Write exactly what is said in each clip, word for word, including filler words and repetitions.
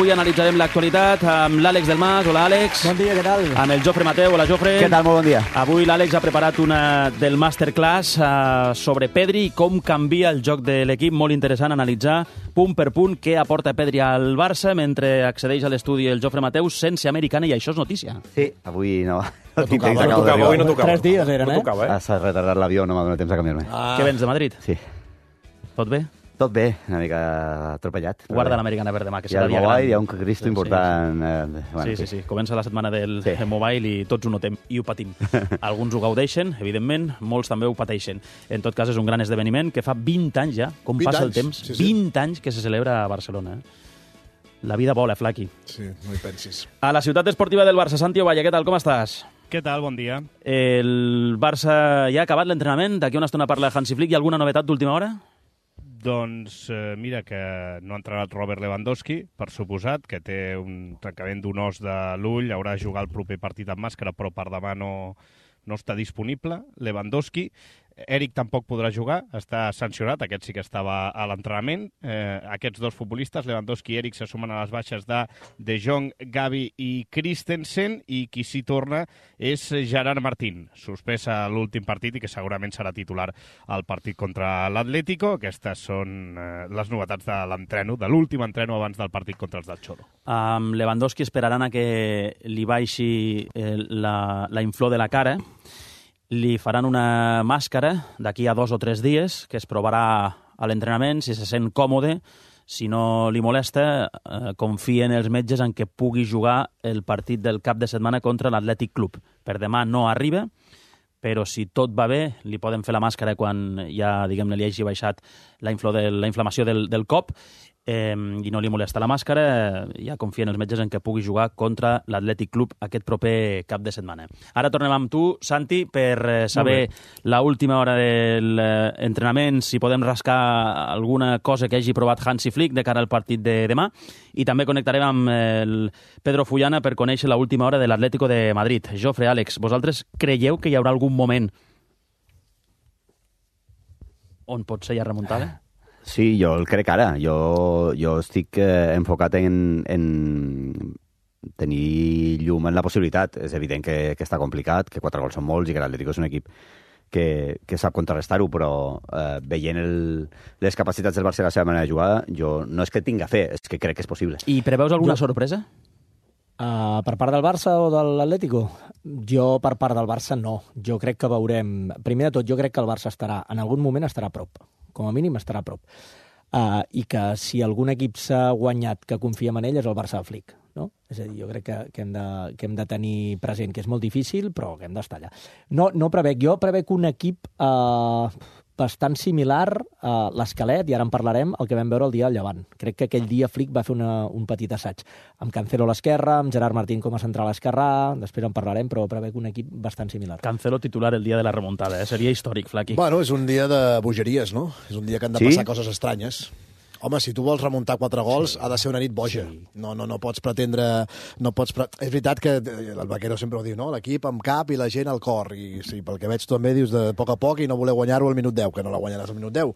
Avui analitzarem l'actualitat amb l'Àlex del Mas. Hola, Àlex. Bon dia, què tal? Amb el Jofre Mateu. Hola, Jofre. Què tal? Molt bon dia. Avui l'Àlex ha preparat una del masterclass uh, sobre Pedri i com canvia el joc de l'equip. Molt interessant analitzar punt per punt què aporta Pedri al Barça mentre accedeix a l'estudi el Jofre Mateu sense americana, i això és notícia. Sí, avui no. No tocava, no tocava, avui no tocava. Tres dies eren, no eh? tocava, eh? S'ha retardat l'avió, no m'ha donat temps a canviar-me. Ah. Què vens de Madrid? Sí. Tot bé? Tot bé, una mica atropellat. Guarda l'americana per demà, que serà dia gran. Hi ha el mobile, hi ha un cristo important. Sí, eh, bueno, sí, sí, sí. Comença la setmana del sí. mobile i tots ho notem i ho patim. Alguns ho gaudeixen, evidentment, molts també ho pateixen. En tot cas, és un gran esdeveniment que fa vint anys ja, com passa el temps, sí, sí. vint anys que se celebra a Barcelona. Eh? La vida vola, Flaqui. Sí, no hi pensis. A la ciutat esportiva del Barça, Santi Ovalla, què tal, com estàs? Què tal? Bon dia. El Barça ja ha acabat l'entrenament? D'aquí una estona parla Hansi Flick. Hi ha alguna novetat d'última hora? Doncs eh, mira que no ha entrenat Robert Lewandowski, per suposat, que té un trencament d'un os de l'ull, haurà de jugar el proper partit amb màscara, però per demà no, no està disponible. Lewandowski. Eric tampoc podrà jugar, està sancionat, aquest sí que estava a l'entrenament. Eh, aquests dos futbolistes, Lewandowski i Eric, se sumen a les baixes de De Jong, Gavi i Christensen, i qui s'hi torna és Gerard Martín, suspès a l'últim partit i que segurament serà titular al partit contra l'Atlético. Aquestes són eh, les novetats de l'entreno, de l'últim entreno abans del partit contra els del Cholo. Amb Lewandowski esperaran a que li baixi eh, la, la inflor de la cara. Li faran una màscara d'aquí a dos o tres dies, que es provarà a l'entrenament, si se sent còmode. Si no li molesta, eh, confien els metges en què pugui jugar el partit del cap de setmana contra l'Atlètic Club. Per demà no arriba, però si tot va bé, li poden fer la màscara quan ja, diguem-ne, li hagi baixat la, inflo de, la inflamació del, del cop, eh, i no li molesta la màscara, ja confien els metges en què pugui jugar contra l'Atlètic Club aquest proper cap de setmana. Ara tornem amb tu, Santi, per eh, saber la última hora de l'entrenament, si podem rascar alguna cosa que hagi provat Hansi Flick de cara al partit de demà, i també connectarem amb el Pedro Fullana per conèixer la última hora de l'Atlético de Madrid. Jofre, Àlex, vosaltres creieu que hi haurà algun moment on pot ser ja remuntada? Sí, jo el crec ara. Jo, jo estic eh, enfocat en, en tenir llum en la possibilitat. És evident que, que està complicat, que quatre gols són molts i que l'Atlético és un equip que, que sap contrarrestar-ho, però eh, veient el, les capacitats del Barça i la seva manera de jugar, jo no és que tinga fe, és que crec que és possible. I preveus alguna jo... sorpresa? Uh, per part del Barça o de l'Atlético? Jo, per part del Barça, no. Jo crec que veurem... Primer de tot, jo crec que el Barça estarà, en algun moment estarà a prop. Com a mínim estarà a prop. Uh, I que si algun equip s'ha guanyat que confiem en ell és el Barça de Flick. No? És a dir, jo crec que, que, hem de, que hem de tenir present que és molt difícil, però que hem d'estar allà. No, no prevec. Jo prevec un equip uh, bastant similar a l'esquelet, i ara en parlarem, el que vam veure el dia del Llevant. Crec que aquell dia Flick va fer una, un petit assaig amb Cancelo a l'esquerra, amb Gerard Martín com a central esquerrà, després en parlarem, però prevec un equip bastant similar. Cancelo titular el dia de la remuntada, eh? Seria històric, Flaqui. Bueno, és un dia de bogeries, no? És un dia que han de sí? passar coses estranyes. Home, si tu vols remuntar quatre gols, sí. ha de ser una nit boja. Sí. No, no, no pots pretendre... No pots pre... És veritat que el Vaquero sempre ho diu, no? L'equip amb cap i la gent al cor. I sí, pel que veig també dius de poc a poc i no voler guanyar-ho al minut deu, que no la guanyaràs al minut deu.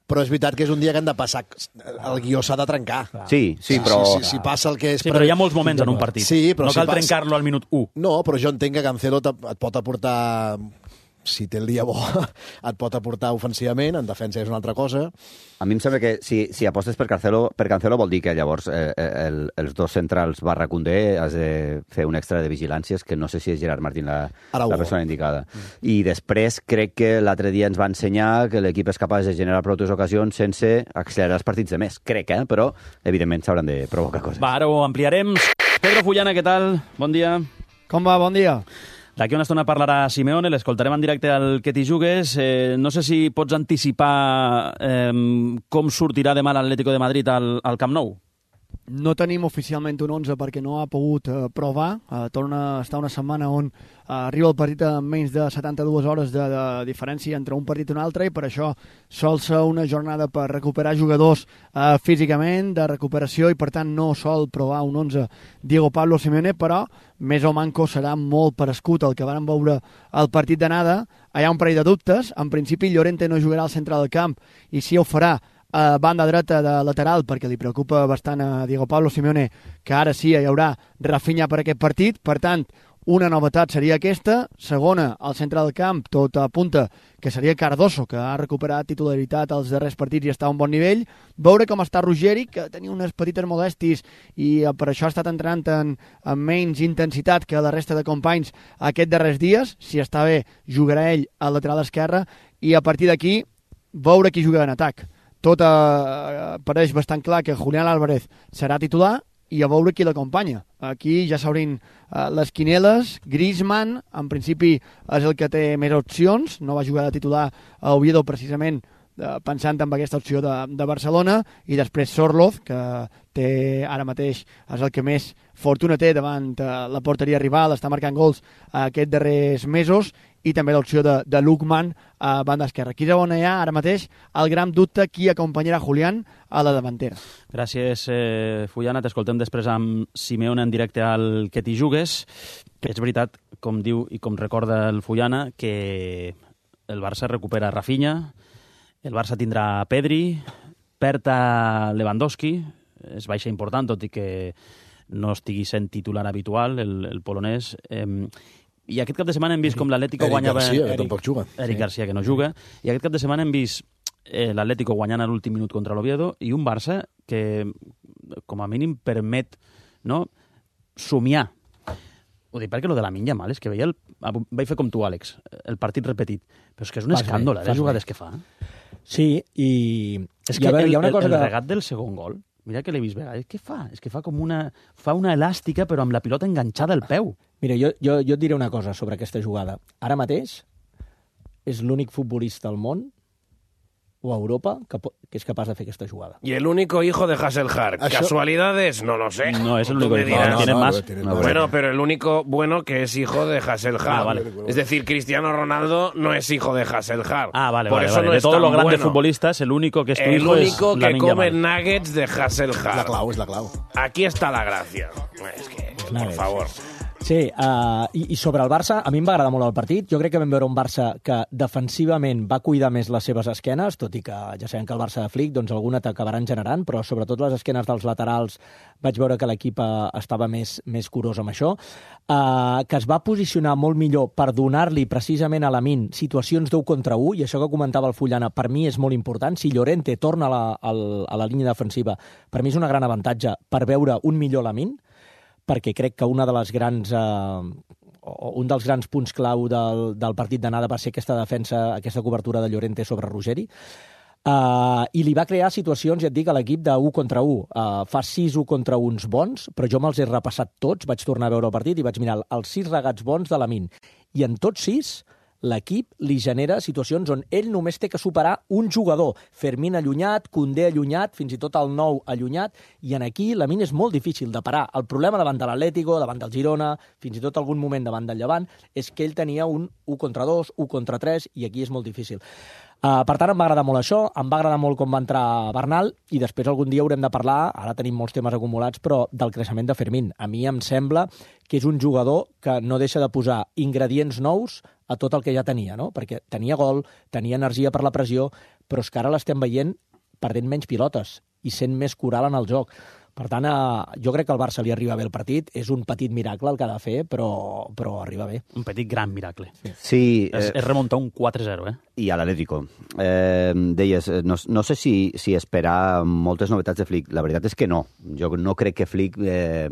Però és veritat que és un dia que han de passar... El guió s'ha de trencar. Sí, sí, però... Si, si, si passa el que és... Sí, però hi ha molts moments en un partit. Sí, però no si cal passa... trencar-lo al minut u. No, però jo entenc que Cancelo et pot aportar... Si té el dia bo, et pot aportar ofensivament, en defensa és una altra cosa. A mi em sembla que si, si apostes per Cancelo, per Cancelo vol dir que llavors eh, el, els dos centrals barra Koundé has de fer un extra de vigilàncies, que no sé si és Gerard Martín la, la persona indicada. Mm. I després crec que l'altre dia ens va ensenyar que l'equip és capaç de generar prou ocasions sense accelerar els partits de més. Crec, eh? Però evidentment s'hauran de provocar coses. Va, ara ho ampliarem. Pedro Fullana, què tal? Bon dia. Com va? Bon dia. D'aquí una estona parlarà Simeone, l'escoltarem en directe al Que t'hi jugues. Eh, no sé si pots anticipar eh, com sortirà demà l'Atlético de Madrid al, al Camp Nou. No tenim oficialment un onze perquè no ha pogut eh, provar. Eh, torna a estar una setmana on eh, arriba el partit amb menys de setanta-dues hores de, de diferència entre un partit i un altre, i per això sol ser una jornada per recuperar jugadors eh, físicament, de recuperació, i per tant no sol provar un onze Diego Pablo Simeone, però més o manco serà molt parescut el que van veure el partit d'anada. Hi ha un parell de dubtes. En principi Llorente no jugarà al centre del camp, i si ho farà a banda dreta de lateral, perquè li preocupa bastant a Diego Pablo Simeone que ara sí hi haurà Rafinha per aquest partit. Per tant, una novetat seria aquesta. Segona, al centre del camp, tot apunta que seria Cardoso, que ha recuperat titularitat als darrers partits i està a un bon nivell. Veure com està Ruggeri, que tenia unes petites molèsties i per això ha estat entrenant en, amb menys intensitat que la resta de companys aquests darrers dies. Si està bé, jugarà ell al lateral esquerre i a partir d'aquí veure qui juga en atac. Tot eh, pareix bastant clar que Julián Álvarez serà titular i a veure qui l'acompanya. Aquí ja s'obrin uh, les quineles. Griezmann, en principi, és el que té més opcions. No va jugar de titular a Oviedo precisament uh, pensant en aquesta opció de, de Barcelona. I després Sorloth, que té ara mateix és el que més fortuna té davant uh, la porteria rival. Està marcant gols uh, aquests darrers mesos. I també l'opció de, de Lukman a banda esquerra. Aquí és on hi ha ara mateix el gran dubte qui acompanyarà Julián a la davantera. Gràcies, eh, Fullana. T'escoltem després amb Simeone en directe al Que t'hi jugues. És veritat, com diu i com recorda el Fullana, que el Barça recupera Rafinha, el Barça tindrà Pedri, perd a Lewandowski, és baixa important, tot i que no estigui sent titular habitual, el, el polonès. Eh, I aquest cap de setmana hem vist com l'Atlético guanyava... Eric Garcia, que tampoc juga. Eric Garcia, que no juga. I aquest cap de setmana hem vist eh, l'Atlético guanyant a l'últim minut contra l'Oviedo i un Barça que, com a mínim, permet no, somiar. Ho dic perquè lo de Lamine Yamal és que veia el... Vaig fer com tu, Àlex, el partit repetit. Però és que és un escàndol, eh, les jugades que fa. Sí, i... És que el, el, el regat del segon gol, mira que l'he vist vegades, què fa? És que fa com una... Fa una elàstica, però amb la pilota enganxada al peu. Mira, jo, jo, jo et diré una cosa sobre aquesta jugada. Ara mateix és l'únic futbolista al món o a Europa que, que es capaz de hacer esta jugada. Y el único hijo de Hasselhard. ¿Això? ¿Casualidades? No lo sé. No, es el único hijo. No, no, tienen no, más. tienen No, más. bueno, pero el único bueno que es hijo de Hasselhard. Ah, vale. Es decir, Cristiano Ronaldo no es hijo de Hasselhard. Ah, vale, Por vale. eso vale. no de es todos tan los grandes bueno. futbolistas, el único que es tu El hijo único es que Lamine come Yamal. nuggets de És la Hasselhard. clau, és la clau. Aquí está la gracia. Es que, por nuggets. favor. Sí, uh, i, i sobre el Barça, a mi em va agradar molt el partit. Jo crec que vam veure un Barça que defensivament va cuidar més les seves esquenes, tot i que ja sabem que el Barça de Flick doncs, alguna t'acabaran generant, però sobretot les esquenes dels laterals vaig veure que l'equip uh, estava més, més curós amb això, uh, que es va posicionar molt millor per donar-li precisament a Lamine situacions d'un contra un, i això que comentava el Fullana per mi és molt important. Si Llorente torna a la, a la línia defensiva, per mi és un gran avantatge per veure un millor Lamine, perquè crec que una de les grans, eh, un dels grans punts clau del, del partit d'anada va ser aquesta defensa, aquesta cobertura de Llorente sobre Ruggeri, uh, i li va crear situacions, ja et dic, a l'equip de un contra un. Uh, fa sis un contra uns bons, però jo me'ls he repassat tots, vaig tornar a veure el partit i vaig mirar els sis regats bons de Lamine. I en tots sis l'equip li genera situacions on ell només té que superar un jugador. Fermín allunyat, Koundé allunyat, fins i tot el nou allunyat, i en aquí Lamine és molt difícil de parar. El problema davant de l'Atlético, davant del Girona, fins i tot algun moment davant del Llevant, és que ell tenia un un contra dos, un contra tres, i aquí és molt difícil. Uh, per tant, em va agradar molt això, em va agradar molt com va entrar Bernal, i després algun dia haurem de parlar, ara tenim molts temes acumulats, però del creixement de Fermín. A mi em sembla que és un jugador que no deixa de posar ingredients nous a tot el que ja tenia, no? Perquè tenia gol, tenia energia per la pressió, però és que ara l'estem veient perdent menys pilotes i sent més coral en el joc. Per tant, eh, jo crec que al Barça li arriba bé el partit. És un petit miracle el que ha de fer, però, però arriba bé. Un petit gran miracle. Sí. És, eh, és remuntar un quatre zero, eh? I a l'Atlético. Eh, deies, no, no sé si, si esperar moltes novetats de Flick. La veritat és que no. Jo no crec que Flick eh,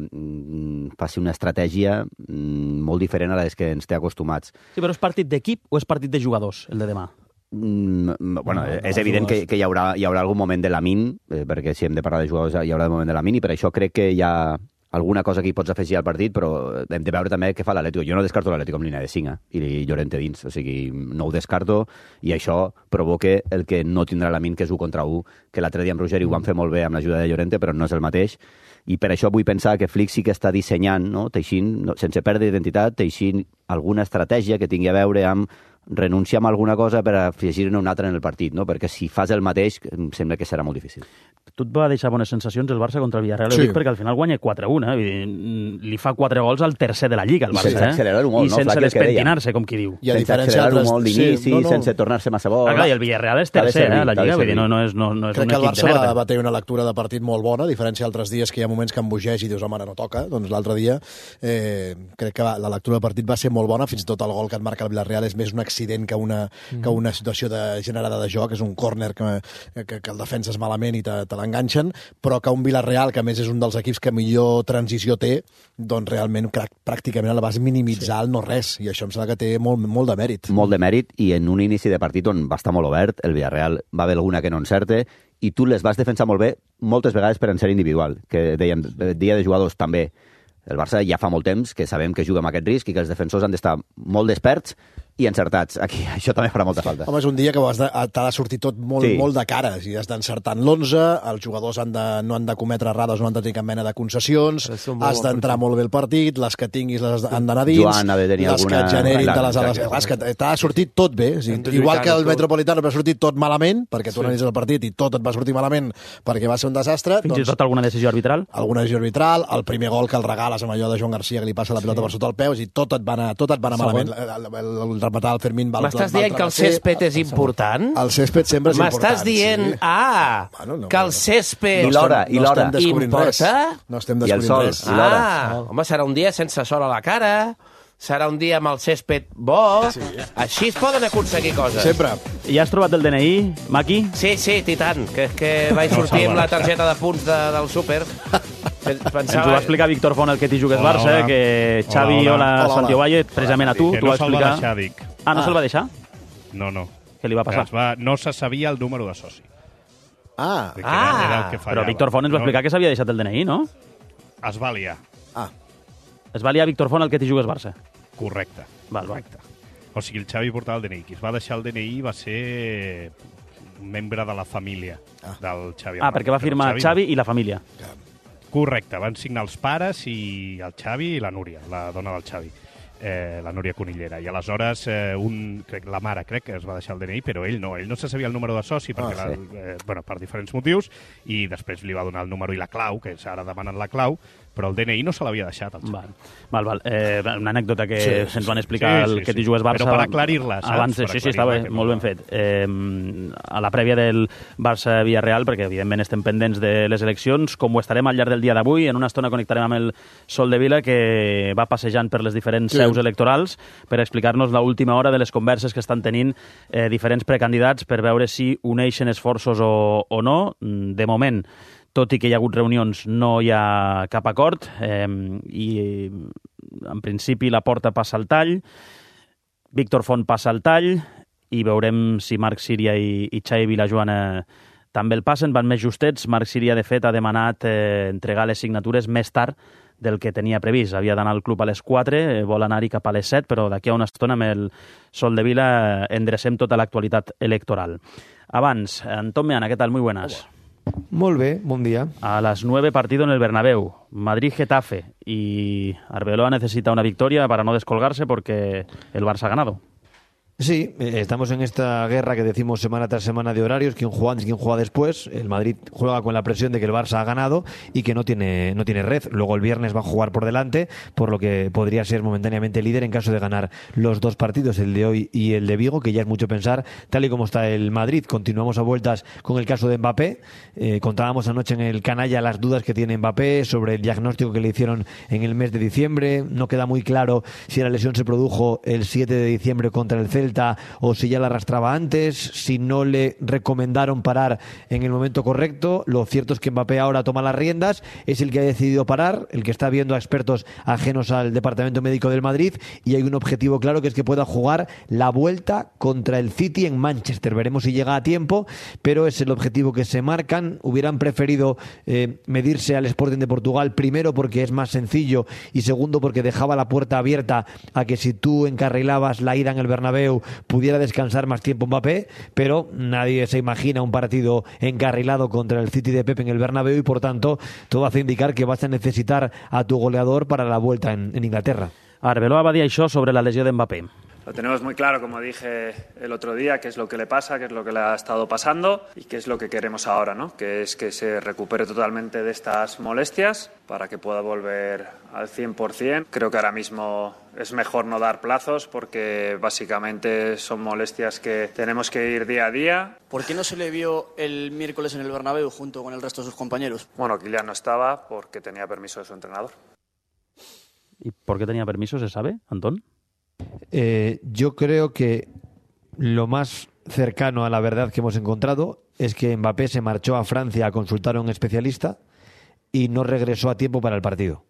faci una estratègia molt diferent a les que ens té acostumats. Sí, però és partit d'equip o és partit de jugadors, el de demà? Mm, bueno, No, és no, evident no, que, que hi, haurà, hi haurà algun moment de Lamine, eh, perquè si hem de parlar de jugadors hi haurà el moment de Lamine, i per això crec que hi ha alguna cosa que hi pots afegir al partit, però hem de veure també què fa l'Atlético. Jo no descarto l'Atlético amb línia de cinc, eh? I Llorente dins, o sigui, no ho descarto, i això provoca el que no tindrà Lamine, que és un contra un, que l'altre dia amb Ruggeri ho van fer molt bé amb l'ajuda de Llorente, però no és el mateix, i per això vull pensar que Flick sí que està dissenyant, no? Teixint, no, sense perdre identitat, teixint alguna estratègia que tingui a veure amb renuncia a alguna cosa per afegir-ne una altra en el partit, no? Perquè si fas el mateix, em sembla que serà molt difícil. Tu et va deixar bones sensacions el Barça contra el Villarreal, sí. Dic, perquè al final guanya quatre a un, eh? Vull dir, li fa quatre gols al tercer de la Lliga, el Barça, sense eh? accelerar-ho molt, I no? sense despentinar-se, com qui diu. I a sense diferència accelerar-ho d'altres- molt d'inici, sí, no, no. sense tornar-se massa bo. Ah, clar, i el Villarreal és tercer, servir, eh, a la t'ha de Lliga, vull dir, servir. no, no és, no, no és Crec un que el equip de Barça va, merda. va tenir una lectura de partit molt bona, a diferència d'altres dies que hi ha moments que embogeix i dius, home, ara no toca. Doncs l'altre dia eh, crec que va, la lectura de partit va ser molt bona, fins i tot el gol que et marca el Villarreal és més un accident que una, mm. que una situació de, generada de joc, és un córner que, que, que el defenses malament i te, te l'enganxen, però que un Villarreal, que a més és un dels equips que millor transició té, doncs realment pràcticament la vas minimitzar al sí. no res, i això em sembla que té molt, molt de mèrit. Molt de mèrit, i en un inici de partit on va estar molt obert, el Villarreal va haver alguna que no encerte, i tu les vas defensar molt bé, moltes vegades per encert individual, que dèiem, dia de jugadors també. El Barça ja fa molt temps que sabem que juga amb aquest risc i que els defensors han d'estar molt desperts i encertats. Aquí això també farà molta falta. Home, és un dia que has de, t'ha de sortir tot molt, Sí. molt de cara. Si has d'encertar en l'onze, els jugadors han de, no han de cometre errades, no han de tenir cap mena de concessions, has d'entrar molt bé el partit, les que tinguis les han d'anar dins, Joan ha de tenir les alguna- que et generin Clar, te les ha de... exacte. Clar, és que t'ha sortit tot bé. O sigui, igual que el Metropolitano va sortir tot malament, perquè tu analitzes el partit i tot et va sortir malament perquè va ser un desastre. Fins i doncs, tot alguna decisió arbitral? alguna decisió arbitral, el primer gol que el regales amb allò de Joan Garcia que li passa la pilota sí. per sota el peu, i tot et va anar, tot et va anar malament. El, el, el, el rematar el Fermín va M'estàs dient que el césped és important? El césped sempre és important. M'estàs dient, sí. ah, Bueno, no, que el no. césped I l'hora, i no l'hora. estem descobrint res. Importa? No estem I el descobrint sol. res. I l'hora. Ah, home, serà un dia sense sol a la cara, serà un dia amb el césped bo, sí. Així es poden aconseguir coses. Sempre. Ja has trobat el D N I, Maki? Sí, sí, i tant, que és que vaig sortir amb la targeta de punts de, del súper. Pensava... Ens ho va explicar Víctor Font, el que t'hi jugues Hola, Barça, hola. que Xavi, Hola, hola, hola. Hola, Santi hola. Ovalle, precisament a tu, Que t'ho no va se'l va explicar. deixar, dic. Ah, no Ah. se'l va deixar? No, no. Què li va passar? Es va, no se sabia el número de soci. Ah, Que Ah. era, era el que Però fallava. Víctor Font ens va explicar que s'havia deixat el D N I, no? Es va liar. ah. Es va liar Víctor Font, el que t'hi jugues Barça. Correcte. Val, val. Correcte. O sigui, el Xavi portava el D N I. Qui es va deixar el D N I va ser un membre de la família Ah. del Xavi. Ah, perquè va Però firmar el Xavi i la família. Correcte, van signar els pares i el Xavi i la Núria, la dona del Xavi, eh, la Núria Conillera. I aleshores eh, un, crec, la mare crec que es va deixar el D N I, però ell no, ell no se sabia el número de soci perquè Ah, la, sí. eh, bueno, per diferents motius, i després li va donar el número i la clau, que ara demanen la clau, però el D N I no se l'havia deixat al Xavi. Val, val. val. Eh, una anècdota que Sí, sí, ens van explicar sí, el sí, que sí. t'hi jugues Barça... Però per aclarir-la, saps? Abans, Per sí, sí, estava aclarir-la, que molt no- ben fet. Eh, a la prèvia del Barça-Villarreal, perquè evidentment estem pendents de les eleccions, com ho estarem al llarg del dia d'avui, en una estona connectarem amb el Sol de Vila, que va passejant per les diferents Sí. seus electorals per explicar-nos l'última hora de les converses que estan tenint eh, diferents precandidats per veure si uneixen esforços o, o no. De moment, tot i que hi ha hagut reunions, no hi ha cap acord, eh, i en principi la porta passa al tall, Víctor Font passa al tall, i veurem si Marc Síria i, i Xavi Vilajoana també el passen, van més justets. Marc Síria, de fet, ha demanat eh, entregar les signatures més tard del que tenia previst. Havia d'anar al club a les quatre, eh, vol anar-hi cap a les set, però d'aquí a una estona amb el Sol de Vila eh, endrecem tota l'actualitat electoral. Abans, Anton Meana, què tal? Muy buenas. Molt bé, bon dia. A las nueve, partido en el Bernabéu. Madrid-Getafe. Y Arbeloa necesita una victoria para no descolgarse porque el Barça ha ganado. Sí, eh, estamos en esta guerra que decimos semana tras semana de horarios, quién juega antes, quién juega después. El Madrid juega con la presión de que el Barça ha ganado y que no tiene, no tiene red. Luego el viernes va a jugar por delante, por lo que podría ser momentáneamente líder en caso de ganar los dos partidos, el de hoy y el de Vigo, que ya es mucho pensar, tal y como está el Madrid. Continuamos a vueltas con el caso de Mbappé. Eh, contábamos anoche en el canalla las dudas que tiene Mbappé sobre el diagnóstico que le hicieron en el mes de diciembre. No queda muy claro si la lesión se produjo el siete de diciembre contra el Celta o si ya la arrastraba antes, si no le recomendaron parar en el momento correcto. Lo cierto es que Mbappé ahora toma las riendas, es el que ha decidido parar, el que está viendo a expertos ajenos al Departamento Médico del Madrid, y hay un objetivo claro, que es que pueda jugar la vuelta contra el City en Manchester. Veremos si llega a tiempo, pero es el objetivo que se marcan. Hubieran preferido eh, medirse al Sporting de Portugal, primero porque es más sencillo y segundo porque dejaba la puerta abierta a que si tú encarrilabas la ida en el Bernabéu pudiera descansar más tiempo Mbappé, pero nadie se imagina un partido encarrilado contra el City de Pep en el Bernabéu, y por tanto todo hace indicar que vas a necesitar a tu goleador para la vuelta en, en Inglaterra. Arbeloa va dir això sobre la lesió de Mbappé. Lo tenemos muy claro, como dije el otro día, qué es lo que le pasa, qué es lo que le ha estado pasando y qué es lo que queremos ahora, ¿no? Que es que se recupere totalmente de estas molestias para que pueda volver al cien por cien. Creo que ahora mismo es mejor no dar plazos porque básicamente son molestias que tenemos que ir día a día. ¿Por qué no se le vio el miércoles en el Bernabéu junto con el resto de sus compañeros? Bueno, Kylian no estaba porque tenía permiso de su entrenador. ¿Y por qué tenía permiso, se sabe, Antón? Eh, yo creo que lo más cercano a la verdad que hemos encontrado es que Mbappé se marchó a Francia a consultar a un especialista y no regresó a tiempo para el partido.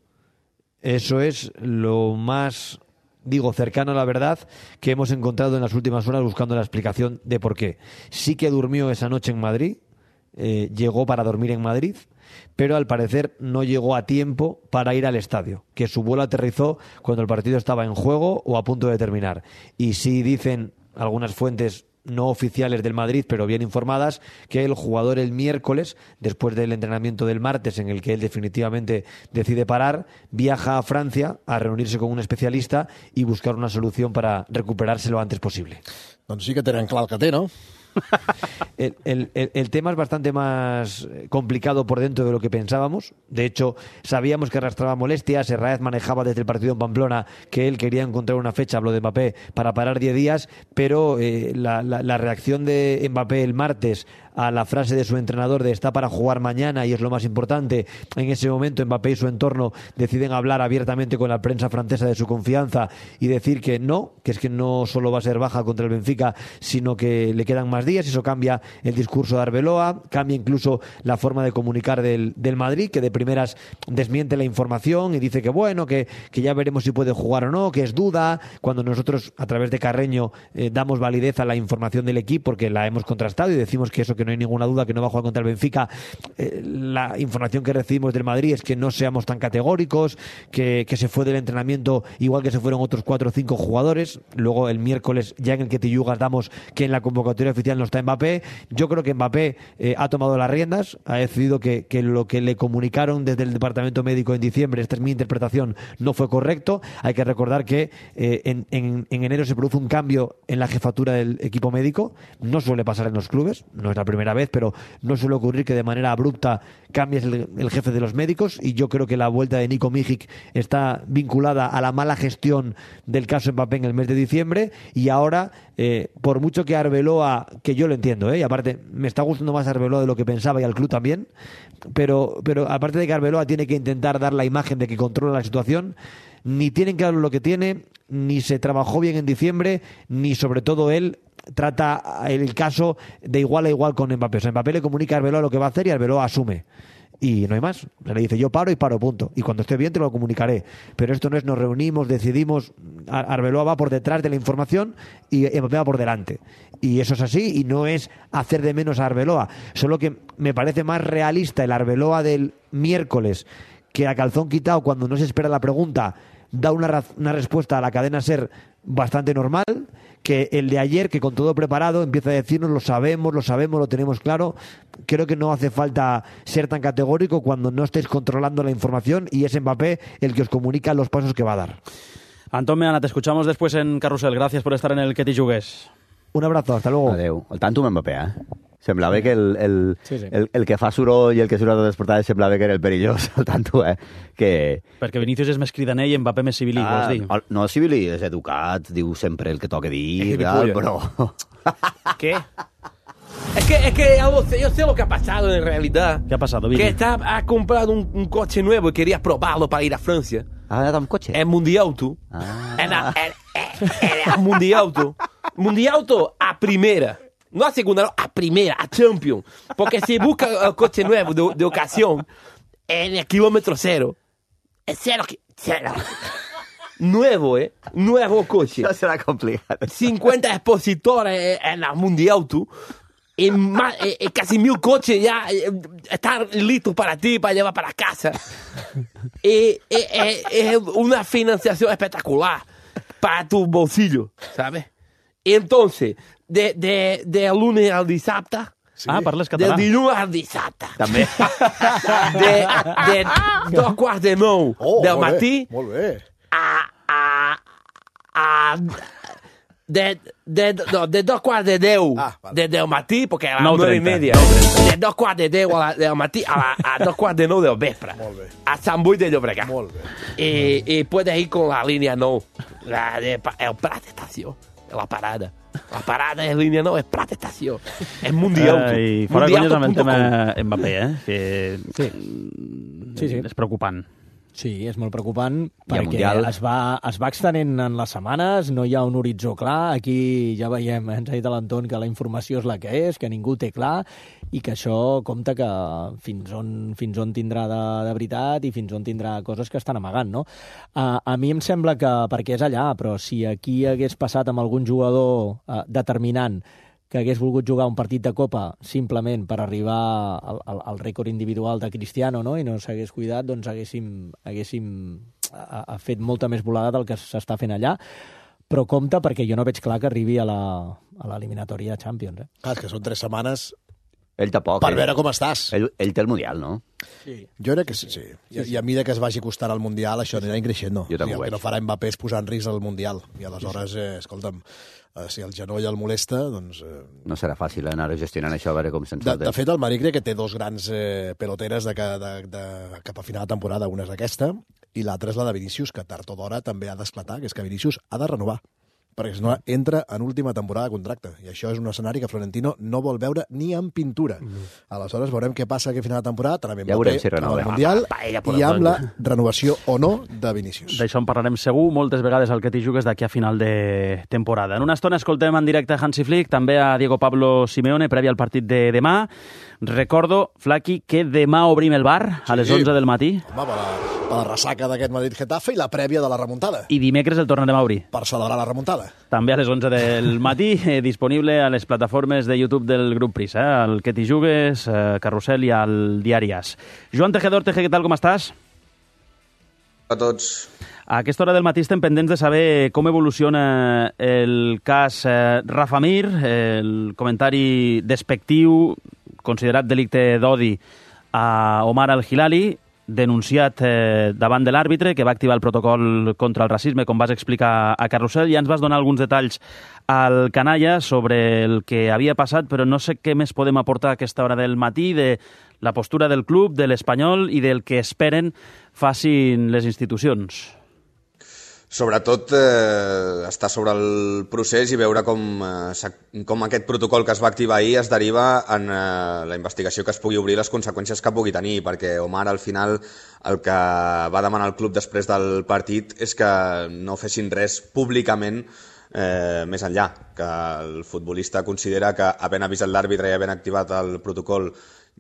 Eso es lo más, digo, cercano a la verdad que hemos encontrado en las últimas horas buscando la explicación de por qué. Sí que durmió esa noche en Madrid, eh, llegó para dormir en Madrid, pero al parecer no llegó a tiempo para ir al estadio, que su vuelo aterrizó cuando el partido estaba en juego o a punto de terminar. Y sí dicen algunas fuentes no oficiales del Madrid, pero bien informadas, que el jugador el miércoles, después del entrenamiento del martes, en el que él definitivamente decide parar, viaja a Francia a reunirse con un especialista y buscar una solución para recuperarse lo antes posible. Doncs sí que tenen clar el que té, no? El, el, el, el tema es bastante más complicado por dentro de lo que pensábamos. De hecho, sabíamos que arrastraba molestias. Herráez manejaba desde el partido en Pamplona que él quería encontrar una fecha, habló de Mbappé, para parar diez días, pero eh, la, la, la reacción de Mbappé el martes a la frase de su entrenador de está para jugar mañana y es lo más importante, en ese momento Mbappé y su entorno deciden hablar abiertamente con la prensa francesa de su confianza y decir que no, que es que no solo va a ser baja contra el Benfica, sino que le quedan más días. Eso cambia el discurso de Arbeloa, cambia incluso la forma de comunicar del, del Madrid, que de primeras desmiente la información y dice que bueno, que, que ya veremos si puede jugar o no, que es duda, cuando nosotros a través de Carreño eh, damos validez a la información del equipo porque la hemos contrastado y decimos que eso, que no hay ninguna duda que no va a jugar contra el Benfica. Eh, la información que recibimos del Madrid es que no seamos tan categóricos, que, que se fue del entrenamiento igual que se fueron otros cuatro o cinco jugadores. Luego el miércoles, ya en el que Tillugas damos que en la convocatoria oficial no está Mbappé. Yo creo que Mbappé eh, ha tomado las riendas, ha decidido que, que lo que le comunicaron desde el departamento médico en diciembre, esta es mi interpretación, no fue correcto. Hay que recordar que eh, en, en, en enero se produce un cambio en la jefatura del equipo médico. No suele pasar en los clubes, no es la primera vez, pero no suele ocurrir que de manera abrupta cambies el, el jefe de los médicos, y yo creo que la vuelta de Nico Mijic está vinculada a la mala gestión del caso Mbappé en el mes de diciembre. Y ahora, eh, por mucho que Arbeloa, que yo lo entiendo, ¿eh? y aparte me está gustando más Arbeloa de lo que pensaba y al club también, pero, pero aparte de que Arbeloa tiene que intentar dar la imagen de que controla la situación, ni tienen claro lo que tiene, ni se trabajó bien en diciembre, ni sobre todo él trata el caso de igual a igual con Mbappé. O sea, Mbappé le comunica a Arbeloa lo que va a hacer y Arbeloa asume. Y no hay más. Le dice, yo paro y paro, punto. Y cuando esté bien te lo comunicaré. Pero esto no es nos reunimos, decidimos. Arbeloa va por detrás de la información y Mbappé va por delante. Y eso es así, y no es hacer de menos a Arbeloa. Solo que me parece más realista el Arbeloa del miércoles, que a calzón quitado, cuando no se espera la pregunta, da una, una respuesta a la cadena SER bastante normal, que el de ayer, que con todo preparado empieza a decirnos lo sabemos, lo sabemos, lo tenemos claro. Creo que no hace falta ser tan categórico cuando no estéis controlando la información y es Mbappé el que os comunica los pasos que va a dar. Antón Meana, te escuchamos después en Carrusel. Gracias por estar en el Que t'hi jugues. Un abrazo, hasta luego. Adéu. El tanto amb Mbappé, eh? Semblava que el, el, sí, sí. el, el que fa soroll i el que surt a totes les portades semblava que era el perillós, el tanto, eh? Que... Perquè Vinícius és més cridaner i Mbappé més civilí, ah, vols dir? El, no, civilí, és educat, diu sempre el que toca dir, tal, però... ¿Qué? Es que, es que yo sé lo que ha pasado en realidad. ¿Qué ha pasado, Vini? Que está, ha comprado un, un coche nuevo y quería probarlo para ir a Francia. Ah, era un coche? Es Mundiauto. Ah. Era, era, era, era Mundiauto. Mundiauto a primera. No a segunda, no, a primera, a Champions. Porque si busca el coche nuevo de, de ocasión, en el kilómetro cero. Es cero, cero. Nuevo, ¿eh? Nuevo coche. No será complicado. cincuenta expositores en la Mundiauto. Y más, eh, casi mil coches ya eh, están listos para ti, para llevar para casa. Es eh, eh, eh, una financiación espectacular para tu bolsillo, ¿sabes? Y entonces, de, de, de lunes al dissabte, sí. Ah, parles català. De dilluns al dissabte. També. De, de dos quarts de nou oh, del molt matí bé, molt bé. a, a, a de, de, no, de dos quarts de deu ah, vale. de, del matí, perquè a les nou i media, de dos quarts de deu a la, del matí a, la, a dos quarts de nou del vespre, a Sant Boi de Llobregat. Molt bé. Y, y puedes ir con la línea no, la de, el Prat Estació, la parada. La parada de línia nou és Prat Estació. És Mundial. Uh, I fora conyes amb el tema Mbappé, eh? Que sí. Sí, sí. És preocupant. Sí, és molt preocupant perquè es va, es va extenent en les setmanes, no hi ha un horitzó clar, aquí ja veiem, ens ha dit l'Anton que la informació és la que és, que ningú té clar i que això compta que fins on, fins on tindrà de, de veritat i fins on tindrà coses que estan amagant, no? Uh, a mi em sembla que, perquè és allà, però si aquí hagués passat amb algun jugador uh, determinant que hagués volgut jugar un partit de Copa simplement per arribar al, al, al rècord individual de Cristiano, no? I no s'hagués cuidat, doncs haguéssim, haguéssim a, a fet molta més volada del que s'està fent allà. Però compte, perquè jo no veig clar que arribi a l'eliminatòria de Champions. Eh? Clar, és que són tres setmanes ell tampoc, per eh? veure com estàs. Ell, ell té el Mundial, no? Sí. Jo crec que sí. sí. I, I a mesura que es vagi costant el Mundial, això anirà increixent. Jo també o sigui, el que no farà Mbappé és posar en risc el Mundial. I aleshores, eh, escolta'm, eh, si el genoll el molesta, doncs... Eh... No serà fàcil anar gestionant això, a veure com se'n de, de fet, el Madrid crec que té dos grans eh, peloteres de, de, de, cap a final de temporada. Una és aquesta, i l'altra és la de Vinícius, que tard o d'hora també ha d'esclatar, que és que Vinícius ha de renovar, perquè si no entra en última temporada de contracte. I això és un escenari que Florentino no vol veure ni en pintura. Mm. Aleshores veurem què passa aquí a final de temporada, tant amb Mbappé, ja si amb el Mundial, i amb la renovació o no de Vinícius. D'això en parlarem segur moltes vegades al que t'hi jugues d'aquí a final de temporada. En una estona escoltem en directe a Hansi Flick, també a Diego Pablo Simeone, previ al partit de demà. Recordo, Flaqui, que demà obrim el bar a les sí. onze del matí. Home, per la, per la ressaca d'aquest Madrid-Getafe i la prèvia de la remuntada. I dimecres el tornarem a obrir. Per celebrar la remuntada. També a les onze del matí, eh, disponible a les plataformes de YouTube del Grup Prisa, eh, al que t'hi jugues, eh, Carrusel i al Diari As. Joan Tejedor, Teje, què tal, com estàs? A tots. A aquesta hora del matí estem pendents de saber com evoluciona el cas eh, Rafa Mir, el comentari despectiu, considerat delicte d'odi a Omar Al-Hilali, denunciat eh, davant de l'àrbitre, que va activar el protocol contra el racisme, com vas explicar a Carrusel. Ja ens vas donar alguns detalls al canalla sobre el que havia passat, però no sé què més podem aportar a aquesta hora del matí, de la postura del club, de l'Espanyol i del que esperen facin les institucions. Sobretot eh, estar sobre el procés i veure com, eh, com aquest protocol que es va activar ahir es deriva en eh, la investigació que es pugui obrir, les conseqüències que pugui tenir, perquè Omar al final el que va demanar el club després del partit és que no fessin res públicament eh, més enllà, que el futbolista considera que havent avisat l'àrbitre i havent activat el protocol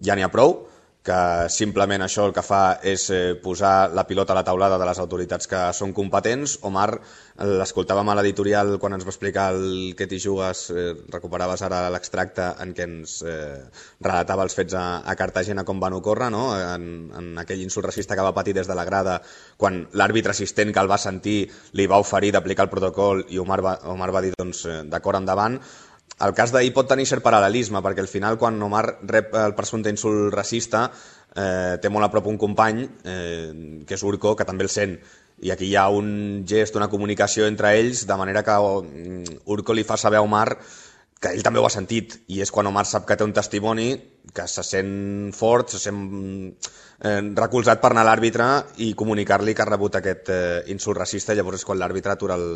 ja n'hi ha prou, que simplement això el que fa és posar la pilota a la taulada de les autoritats que són competents. Omar, l'escoltàvem a l'editorial quan ens va explicar el que t'hi jugues, eh, recuperaves ara l'extracte en què ens eh, relatava els fets a, a Cartagena com van ocórrer, no? en, en aquell insult racista que va patir des de la grada quan l'àrbitre assistent que el va sentir li va oferir d'aplicar el protocol i Omar va, Omar va dir doncs, d'acord, endavant. El cas d'ahir pot tenir cert paral·lelisme, perquè al final, quan Omar rep el presumpte insult racista, eh, té molt a prop un company, eh, que és Urco, que també el sent. I aquí hi ha un gest, una comunicació entre ells, de manera que Urco li fa saber a Omar que ell també ho ha sentit. I és quan Omar sap que té un testimoni, que se sent fort, se sent eh, recolzat per anar a l'àrbitre i comunicar-li que ha rebut aquest eh, insult racista. Llavors és quan l'àrbitre atura el...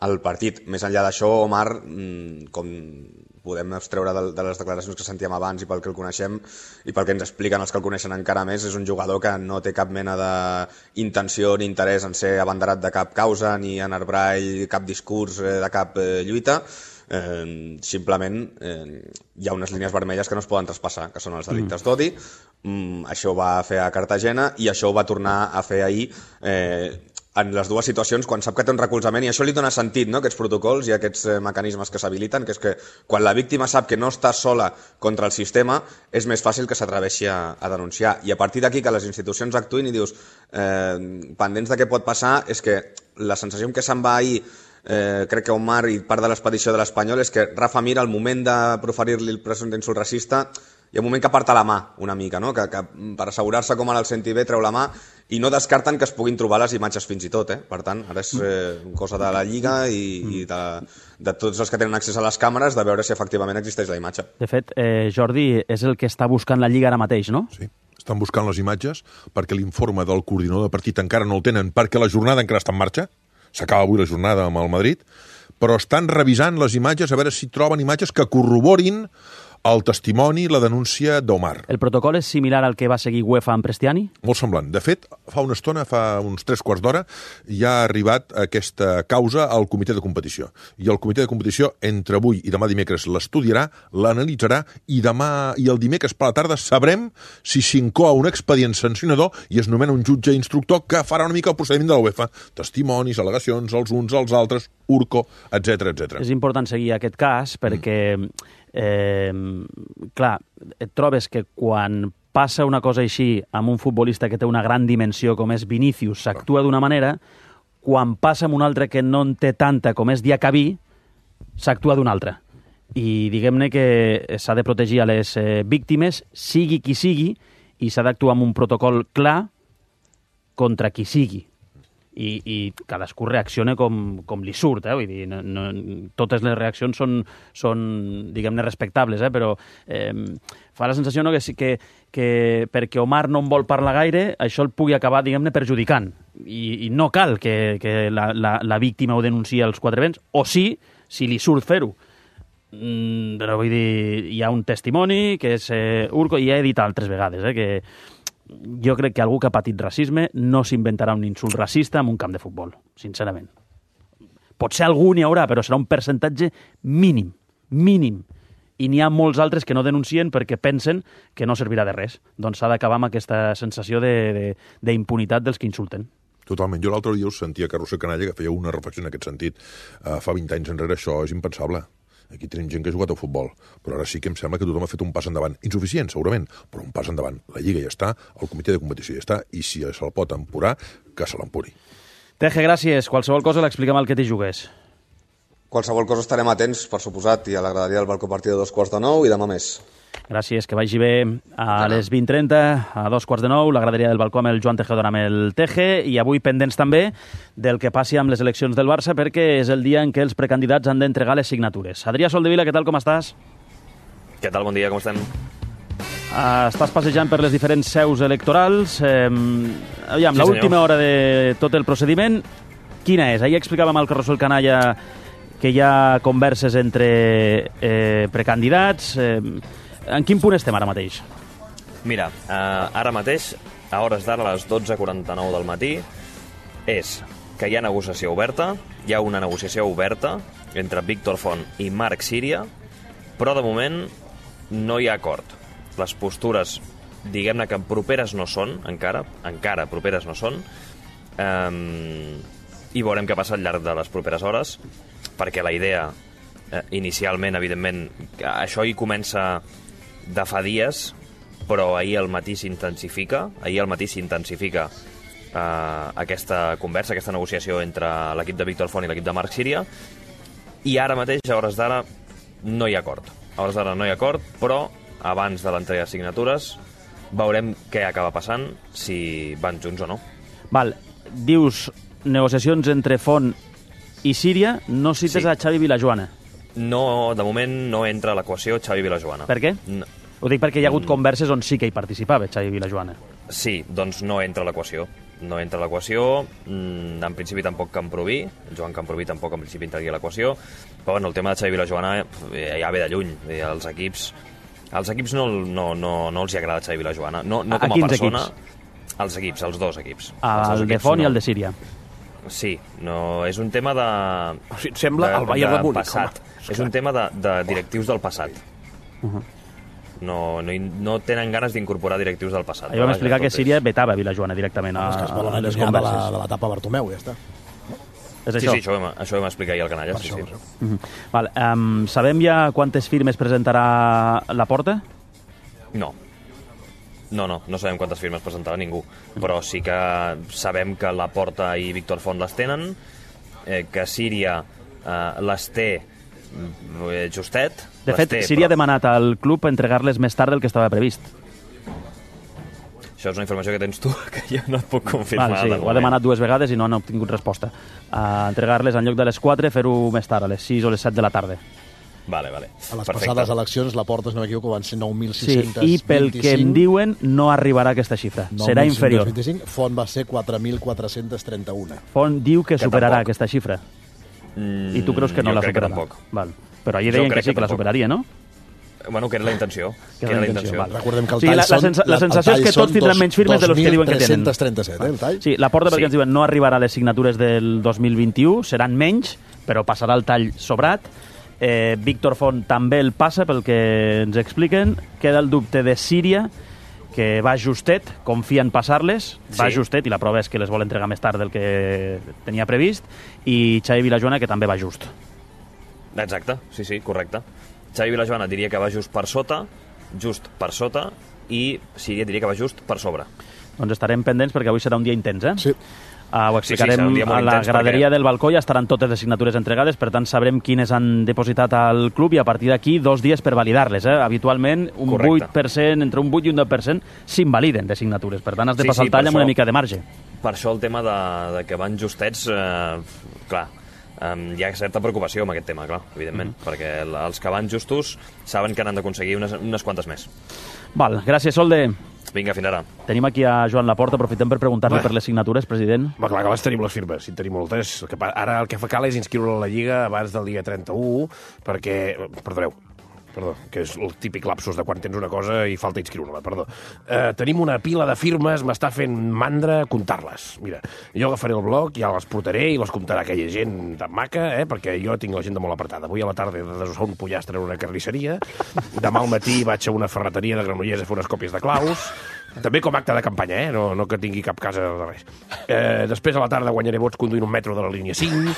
el partit. Més enllà d'això, Omar, com podem extreure de, de les declaracions que sentíem abans i pel que el coneixem i pel que ens expliquen els que el coneixen encara més, és un jugador que no té cap mena d'intenció ni interès en ser abanderat de cap causa ni en arbrar ell cap discurs de cap eh, lluita. Eh, simplement eh, hi ha unes línies vermelles que no es poden traspassar, que són els delictes d'odi. Mm, això ho va fer a Cartagena i això ho va tornar a fer ahir eh, en les dues situacions, quan sap que té un recolzament, i això li dona sentit, no?, aquests protocols i aquests eh, mecanismes que s'habiliten, que és que quan la víctima sap que no està sola contra el sistema, és més fàcil que s'atreveixi a, a denunciar. I a partir d'aquí que les institucions actuïn i dius, eh, pendents de què pot passar, és que la sensació que se'n va ahir, eh, crec que Omar i part de l'expedició de l'Espanyol, és que Rafa Mir, al moment de proferir-li el presumpte insult racista, hi ha un moment que aparta la mà una mica, no? que, que per assegurar-se com ara el senti bé treu la mà i no descarten que es puguin trobar les imatges fins i tot. Eh? Per tant, ara és eh, cosa de la Lliga i, i de, de tots els que tenen accés a les càmeres de veure si efectivament existeix la imatge. De fet, eh, Jordi, és el que està buscant la Lliga ara mateix, no? Sí, estan buscant les imatges perquè l'informe del coordinador de partit encara no el tenen, perquè la jornada encara està en marxa. S'acaba avui la jornada amb el Madrid, però estan revisant les imatges a veure si troben imatges que corroborin el testimoni, la denúncia d'Omar. El protocol és similar al que va seguir UEFA amb Prestiani? Molt semblant. De fet, fa una estona, fa uns tres quarts d'hora, ja ha arribat aquesta causa al comitè de competició. I el comitè de competició, entre avui i demà dimecres, l'estudiarà, l'analitzarà, i demà i el dimecres per la tarda sabrem si s'inclou un expedient sancionador i es nomena un jutge instructor que farà una mica el procediment de la UEFA. Testimonis, al·legacions, els uns, els altres, Urco, etcètera, etcètera. És important seguir aquest cas perquè... Mm. Eh, clar, et trobes que quan passa una cosa així amb un futbolista que té una gran dimensió com és Vinícius, s'actua d'una manera, quan passa amb un altre que no en té tanta com és Diacabí, s'actua d'una altra. I diguem-ne que s'ha de protegir a les eh, víctimes, sigui qui sigui, i s'ha d'actuar amb un protocol clar contra qui sigui. I, i cadascú reacciona com, com li surt, eh? Vull dir, no, no, totes les reaccions són, són diguem-ne, respectables, eh? Però eh, fa la sensació, no, que, que, que perquè Omar no en vol parlar gaire, això el pugui acabar, diguem-ne, perjudicant. I, i no cal que, que la, la, la víctima ho denunciï als quatre vents, o sí, si li surt fer-ho. Mm, però vull dir, hi ha un testimoni que és eh, Urco, i ja he dit altres vegades, eh, que jo crec que algú que ha patit racisme no s'inventarà un insult racista en un camp de futbol, sincerament. Potser algú n'hi haurà, però serà un percentatge mínim, mínim. I n'hi ha molts altres que no denuncien perquè pensen que no servirà de res. Doncs s'ha d'acabar amb aquesta sensació d'impunitat de, de, dels que insulten. Totalment. Jo l'altre dia us sentia que Roser Canalla, que feia una reflexió en aquest sentit. Uh, fa vint anys enrere això és impensable. Aquí tenim gent que ha jugat a futbol, però ara sí que em sembla que tothom ha fet un pas endavant. Insuficient, segurament, però un pas endavant. La Lliga ja està, el comitè de competició ja està, i si se'l pot empurar, que se l'empuri. Teje, gràcies. Qualsevol cosa l'expliquem al que t'hi jugués. Qualsevol cosa estarem atents, per suposat, i a la graderia del balcó a partir de dos quarts de nou i demà més. Gràcies, que vagi bé. A les vint trenta, a dos quarts de nou, la graderia del balcó amb el Joan Tejedor amb el Teje, i avui pendents també del que passi amb les eleccions del Barça, perquè és el dia en què els precandidats han d'entregar les signatures. Adrià Soldevila, què tal, com estàs? Què tal, bon dia, com estem? Uh, estàs passejant per les diferents seus electorals. Eh, aviam, sí, l'última hora de tot el procediment, quina és? Ahir explicàvem al Carrusel Canalla que hi ha converses entre eh, precandidats. Eh, En quin punt estem ara mateix? Mira, eh, ara mateix, a hores d'ara, a les dotze quaranta-nou del matí, és que hi ha negociació oberta, hi ha una negociació oberta entre Víctor Font i Marc Síria, però de moment no hi ha acord. Les postures, diguem-ne que properes no són, encara, encara properes no són, eh, i veurem què passa al llarg de les properes hores, perquè la idea, eh, inicialment, evidentment, això hi comença de fa dies, però ahir al matí s'intensifica, ahir al matí s'intensifica eh, aquesta conversa, aquesta negociació entre l'equip de Víctor Font i l'equip de Marc Síria, i ara mateix, a hores d'ara, no hi ha acord. A hores d'ara no hi ha acord, però abans de l'entrega de signatures veurem què acaba passant, si van junts o no. Val, dius negociacions entre Font i Síria, no cites sí. a Xavi Vilajoana. No, de moment no entra a l'equació Xavi Vilajoana. Per què? No. Ho dic perquè hi ha hagut converses on sí que hi participava Xavi Vilajoana. Sí, doncs no entra a l'equació. No entra a l'equació, en principi tampoc Camproví, Joan Camproví tampoc en principi entraria a l'equació, però bueno, el tema de Xavi Vilajoana ja ve de lluny. Els equips, els equips no, no, no, no els hi agrada Xavi Vilajoana. No, no com a, a persona. Equips? Els equips, els dos equips. El els de Font no. I el de Síria. Sí, no, és un tema de... O sigui, sembla de, el Bayern de, de Múnich, passat. És un tema de, de directius del passat. Uh-huh. No, no, no tenen ganes d'incorporar directius del passat. Ahir vam explicar que Síria vetava Vilajoana directament a, a, a les converses. De, la, de l'etapa Bartomeu, ja està. És sí, això? sí, això ho vam, això ho vam explicar ahir al Canalla. Sí, això, sí. Uh-huh. Val, um, sabem ja quantes firmes presentarà Laporta? No. No, no, no sabem quantes firmes presentarà ningú, però sí que sabem que Laporta i Víctor Font les tenen, eh, que Síria eh, les té justet. De fet, Síria ha demanat al club entregar-les més tard del que estava previst. Això és una informació que tens tu, que jo no et puc confirmar. Val, sí, ho ha demanat dues vegades i no han obtingut resposta. Uh, entregar-les en lloc de les quatre, fer-ho més tard, a les sis o les set de la tarda. Vale, vale. A les Perfecte. Passades eleccions, la Porta, si no m'equivoco, van ser nou mil sis-cents vint-i-cinc. Sí, i pel que em diuen, no arribarà aquesta xifra. Serà inferior. vint-i-cinc. Font va ser quatre mil quatre-cents trenta-un. Font diu que, que superarà tampoc. aquesta xifra. Mm, I tu creus que no la superarà? Que Val. Però ahir deien que, que sí, que, que la superaria, no? Bueno, que era la intenció. Que era la intenció. Val. Recordem que el sí, tall la, la, sensa, la sensació és que tots tindran menys firmes de los que diuen que tenen. dos mil tres-cents trenta-set, eh, el tall? Sí, la Porta, perquè sí. ens diuen, no arribarà a les signatures del dos mil vint-i-u, seran menys, però passarà el tall sobrat. Eh, Víctor Font també el passa, pel que ens expliquen. Queda el dubte de Síria, que va justet, confia en passar-les, va sí. justet, i la prova és que les vol entregar més tard del que tenia previst, i Xavi Vilajoana, que també va just. Exacte, sí, sí, correcte. Xavi Vilajoana diria que va just per sota, just per sota, i Síria diria que va just per sobre. Doncs estarem pendents perquè avui serà un dia intens, eh? Sí. Uh, ho explicarem sí, sí, a la graderia perquè... del balcó, ja estaran totes les signatures entregades, per tant sabrem quines han depositat al club i a partir d'aquí dos dies per validar-les. Eh? Habitualment un Correcte. vuit per cent, entre un vuit i un deu per cent s'invaliden de signatures, per tant has de sí, passar sí, el tall amb això, una mica de marge. Per això el tema de, de que van justets, eh, clar, Um, hi ha certa preocupació amb aquest tema, clar, evidentment, mm. perquè els que van justos saben que n'han d'aconseguir unes, unes quantes més. Val, gràcies, Solde. Vinga, fins ara. Tenim aquí a Joan Laporta, aprofitem per preguntar-li per les signatures, president. Va, clar que les tenim les firmes, si en tenim moltes. El que, ara el que fa cal és inscriure a la Lliga abans del dia trenta-u, perquè... Perdoneu, perdó, que és el típic lapsus de quan tens una cosa i falta inscriure-la, perdó. Eh, tenim una pila de firmes, m'està fent mandra comptar-les. Mira, jo agafaré el bloc, ja les portaré i les comptarà aquella gent tan maca, eh, perquè jo tinc l'agenda molt apretada. Avui a la tarda he de desossar un pollastre en una carnisseria, demà al matí vaig a una ferreteria de Granollers a fer unes còpies de claus, també com acte de campanya, eh? no, no que tingui cap casa de res. Eh, després a la tarda guanyaré vots conduint un metro de la línia cinc,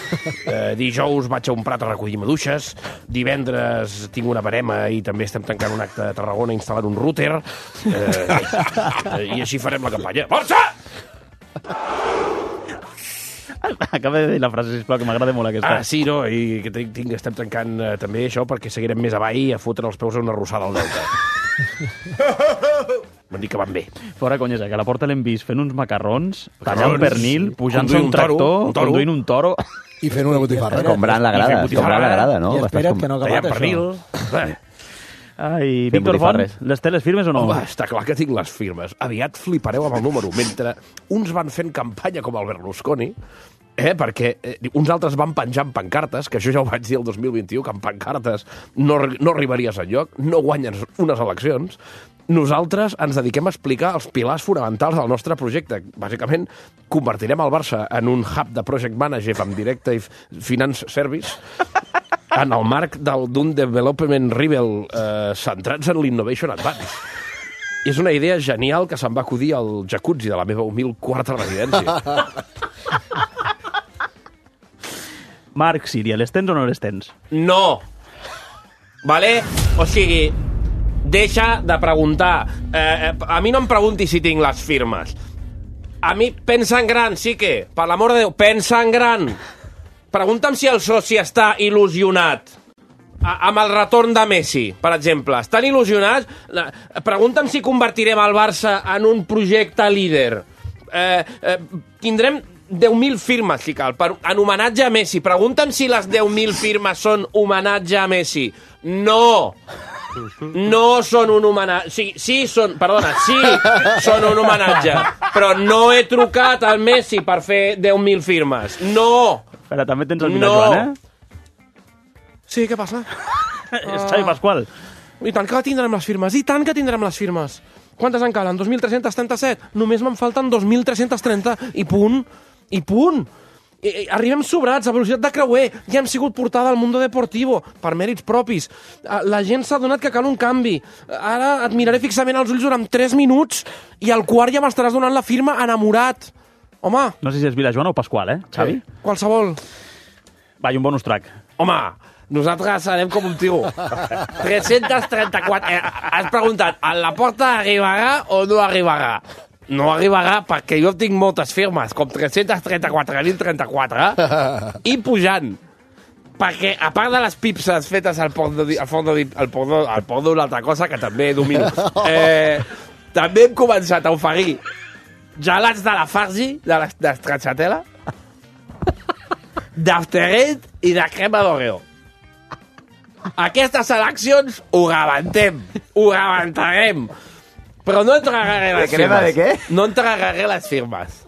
eh, dijous vaig a un prat a recollir maduixes, divendres tinc una barema i també estem tancant un acte a Tarragona instal·lant un router, eh, eh, i així farem la campanya. Força! Acaba de dir la frase, sisplau, que m'agrada molt aquesta. Ah, sí, no, i que tinc, tinc, estem tancant eh, també això perquè seguirem més avall a fotre els peus a una arrossada al delta. M'han dit que van bé. Fora conyesa, que a la Porta l'hem vist fent uns macarrons, tallant pernil, pujant-se un, un tractor, un conduint un toro... I fent una botifarra. Comprant la grada, comprant la grada, no? I espera't que no ha acabat pernil. Ai, Víctor Font, les té les firmes o no? Home, està clar que tinc les firmes. Aviat flipareu amb el número. Mentre uns van fent campanya com el Berlusconi, eh, perquè eh, uns altres van penjant pancartes, que això ja ho vaig dir el dos mil vint-i-u, que amb pancartes no, no arribaries enlloc, no guanyes unes eleccions. Nosaltres ens dediquem a explicar els pilars fonamentals del nostre projecte. Bàsicament, convertirem el Barça en un hub de project manager amb Directive Finance Service en el marc d'un development rebel eh, centrats en l'Innovation Advance. I és una idea genial que se'm va acudir al jacuzzi de la meva humil quarta residència. Marc Síria, les tens o no les tens? No. Vale? O sigui, deixa de preguntar. Eh, a mi no em preguntis si tinc les firmes. A mi, pensa en gran, sí que, per l'amor de Déu, pensa en gran. Pregunta'm si el soci està il·lusionat a, amb el retorn de Messi, per exemple. Estan il·lusionats? Pregunta'm si convertirem el Barça en un projecte líder. Eh, eh, tindrem deu mil firmes, si cal, per, en homenatge a Messi. Pregunta'm si les deu mil firmes són homenatge a Messi. No! No són un homenatge. Sí, sí són, perdona, sí són un homenatge. Però no he trucat al Messi per fer deu mil firmes. No! Espera, també tens el Vilajoan, eh? Sí, què passa? És Xavi Pasqual. I tant que tindrem les firmes, i tant que tindrem les firmes. Quantes en calen? dos mil tres-cents trenta-set? Només me'n falten dos mil tres-cents trenta i punt. I punt. I, i, arribem sobrats, a velocitat de creuer. Ja hem sigut portada al Mundo Deportivo, per mèrits propis. La gent s'ha donat que cal un canvi. Ara et miraré fixament als ulls durant tres minuts i al quart ja m'estaràs donant la firma enamorat. Home. No sé si és Vilajoan o Pasqual, eh, Xavi? Sí. Qualsevol. Va, i un bonus track. Home, nosaltres serem com un tio. tres-cents trenta-quatre. Eh, has preguntat, a la Porta arribarà o no arribarà? No arribarà perquè jo tinc moltes firmes, com tres-cents trenta-quatre mil trenta-quatre, i pujant. perquè, a part de les pipses fetes al porno, al porno, al porno, al porno una altra cosa que també domino, eh, també hem començat a oferir gelats de la Fargi, de la de stracciatella, d'After Eight i de crema d'Oreo. Aquestes eleccions ho rebentem, ho rebentarem, però no entregaré les de crema firmes. De què? No entregaré les firmes.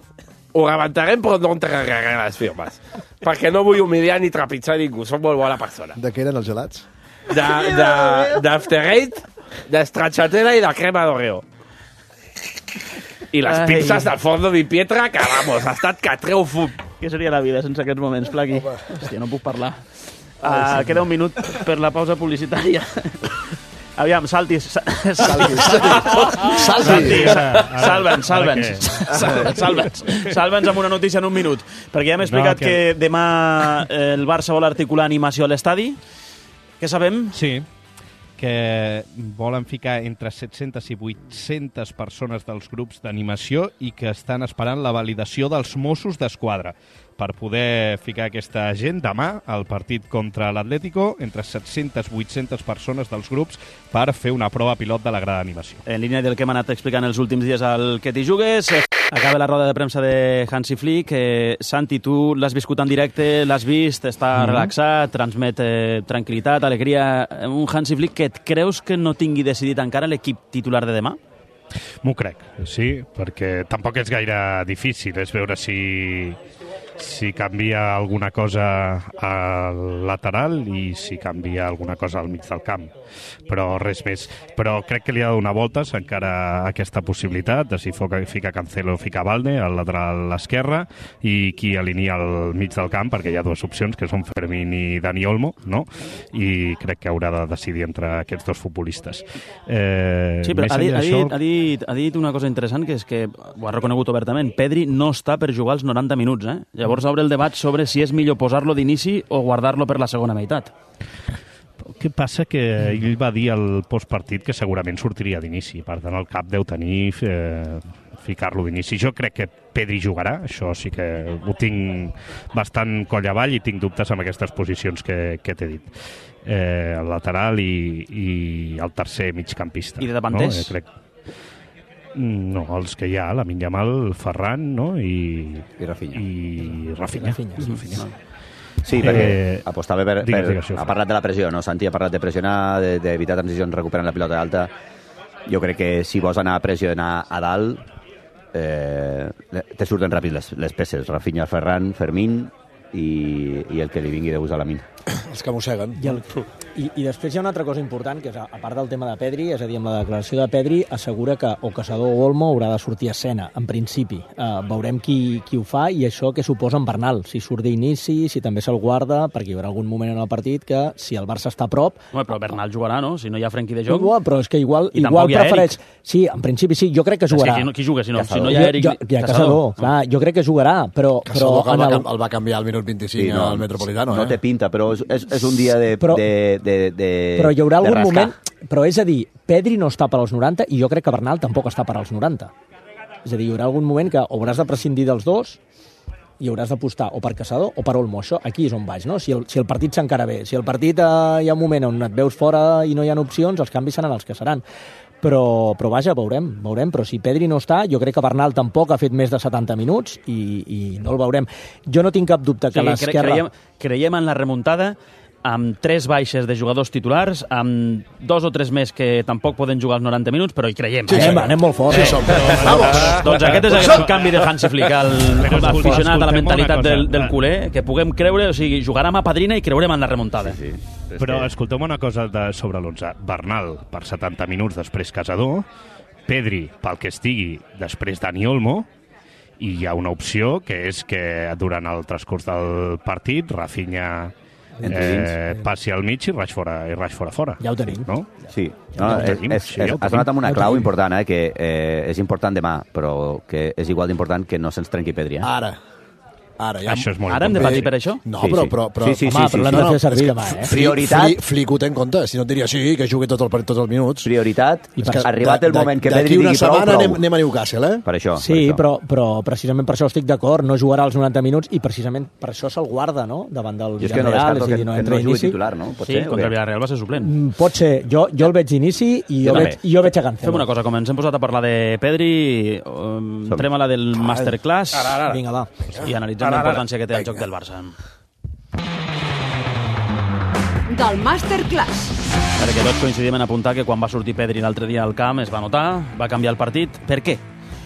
Ho rebentarem, però no entregaré les firmes. Perquè no vull humiliar ni trepitjar ningú. Soc molt bona persona. De què eren els gelats? D'After Eight, de stracciatella i de crema d'Oreo. I les Ai. pizzas del forno di pietra, que, vamos, ha estat que treu fum. Què seria la vida sense aquests moments, Plaqui? Hòstia, no puc parlar. Uh, queda un minut per la pausa publicitària. Aviam, salti. Salti, salti. Salti. Salva'ns, salva'ns. Salva'ns. Salva'ns amb una notícia en un minut. Perquè ja hem explicat no, que... que demà el Barça vol articular animació a l'estadi. Què sabem? Sí, que volen ficar entre set-centes i vuit-centes persones dels grups d'animació i que estan esperant la validació dels Mossos d'Esquadra per poder ficar aquesta gent demà al partit contra l'Atlético, entre set-centes i vuit-centes persones dels grups per fer una prova pilot de la grada d'animació. En línia del que hem anat explicant els últims dies al Que t'hi jugues, acaba la roda de premsa de Hansi Flick. Eh, Santi, tu l'has viscut en directe, l'has vist, està mm-hmm. relaxat, transmet eh, tranquil·litat, alegria. Un Hansi Flick que et creus que no tingui decidit encara l'equip titular de demà? M'ho crec, sí, perquè tampoc és gaire difícil, és veure si... si canvia alguna cosa al lateral i si canvia alguna cosa al mig del camp. Però res més. Però crec que li ha de donar voltes encara aquesta possibilitat de si fica Cancelo o fica Valde al lateral esquerre i qui alinea al mig del camp, perquè hi ha dues opcions, que són Fermín i Dani Olmo, no? I crec que haurà de decidir entre aquests dos futbolistes. Eh, sí, però ha dit, això... ha, dit, ha, dit, ha dit una cosa interessant, que és que ho ha reconegut obertament. Pedri no està per jugar els noranta minuts, eh? Llavors obre el debat sobre si és millor posar-lo d'inici o guardar-lo per la segona meitat. El que passa que ell va dir al postpartit que segurament sortiria d'inici, per tant el cap deu tenir eh, ficar-lo d'inici. Jo crec que Pedri jugarà, això sí que ho tinc bastant coll avall i tinc dubtes amb aquestes posicions que, que t'he dit. Eh, el lateral i, i el tercer migcampista. I de davanters? No? Eh, crec... No, els que hi ha, Lamine Yamal, Ferran, no? I, I Rafinha. I Rafinha. Rafinha, sí, Rafinha. Sí, perquè eh, apostava per, digues, per... digues, ha parlat de la pressió, no? Santi ha parlat de pressionar, d'evitar transicions recuperant la pilota alta. Jo crec que si vols anar a pressionar a dalt, eh, te surten ràpid les, les peces. Rafinha, Ferran, Fermín i, i el que li vingui de gust a la mina. Els que mosseguen. I, el, i, I després hi ha una altra cosa important, que és, a, a part del tema de Pedri, és a dir, amb la declaració de Pedri, assegura que o Caçador o Olmo haurà de sortir a escena, en principi. Uh, veurem qui, qui ho fa i això què suposa en Bernal, si surt d'inici, si també se'l guarda, perquè hi haurà algun moment en el partit que, si el Barça està a prop... Home, però Bernal jugarà, no? Si no hi ha Frenkie de Jong... No, però és que igual, igual prefereix... Sí, en principi sí, jo crec que jugarà. Sí, qui, qui juga, si no, si no hi ha Eric... Jo, jo, hi ha Caçador, clar, jo crec que jugarà, però... Caçador, però que el, el... va, el va canviar al minut vint-i-cinc sí, no, al Metropolitano, no eh? té pinta, però és, és, és un dia de, però, de, de, de però hi haurà algun rascar. moment... Però és a dir, Pedri no està per als noranta i jo crec que Bernal tampoc està per als noranta. És a dir, hi haurà algun moment que o hauràs de prescindir dels dos i hauràs d'apostar o per Caçador o per Olmo. Això aquí és on vaig, no? Si el, si el partit s'encara bé, si el partit eh, hi ha un moment on et veus fora i no hi ha opcions, els canvis seran els que seran. Però, però vaja, veurem, veurem. Però si Pedri no està, jo crec que Bernal tampoc ha fet més de setanta minuts i, i no el veurem. Jo no tinc cap dubte que sí, l'esquerra... Creiem, creiem en la remuntada amb tres baixes de jugadors titulars, amb dos o tres més que tampoc poden jugar els noranta minuts, però hi creiem. Sí, anem, anem molt fort. Sí, som. Vamos. Doncs aquest és el canvi de Hansi Flick, el, el aficionat a la mentalitat del, del culer, que puguem creure, o sigui, jugarem a padrina i creurem en la remuntada. Sí, sí. Però escolteu una cosa de, sobre l'onze. Bernal, per setanta minuts, després Caçador. Pedri, pel que estigui, després Dani Olmo. I hi ha una opció, que és que durant el transcurs del partit, Rafinha... Eh, passi al mig i raig fora, i raig fora fora. Ja ho tenim. No? Sí, no, ja és, és, és, has donat amb una clau important, eh, que eh, és important demà, però que és igual d'important que no se'ns trenqui Pedri. Eh? Ara. Ara, ja... Això és molt Ara hem de patir per això? No, Sí, però... sí. però, però Sí, sí, Home, sí, però l'hem sí. de fer servir demà, eh? Prioritat. Fli, Flic ho té en compte, si no et diria sí, que jugui tot el, tots els minuts. Prioritat, És que arribat el de- moment que d'aquí Pedri una digui prou, setmana prou. anem, anem a Newcastle, eh? Per això. Sí, per això. però, però precisament per això estic d'acord, no jugarà els noranta minuts i precisament per això se'l guarda, no?, davant del Jo és que no Villarreal, descarto és a que, dir, no que entra no jugui inici. titular, no? Pot Sí, ser, o contra el què? Villarreal va ser suplent. Mm, Pot ser, jo, jo el veig d'inici i jo, Jo veig, també. jo veig a Cancelo. Fem una cosa, com ens hem posat a parlar de Pedri, um, entrem a la del Masterclass Ara, ara, ara. Vinga, va. i analitzem Ara, la ara. importància que té el joc del Barça. Del Masterclass. Perquè tots coincidim en apuntar que quan va sortir Pedri l'altre dia al camp es va notar, va canviar el partit. Per què?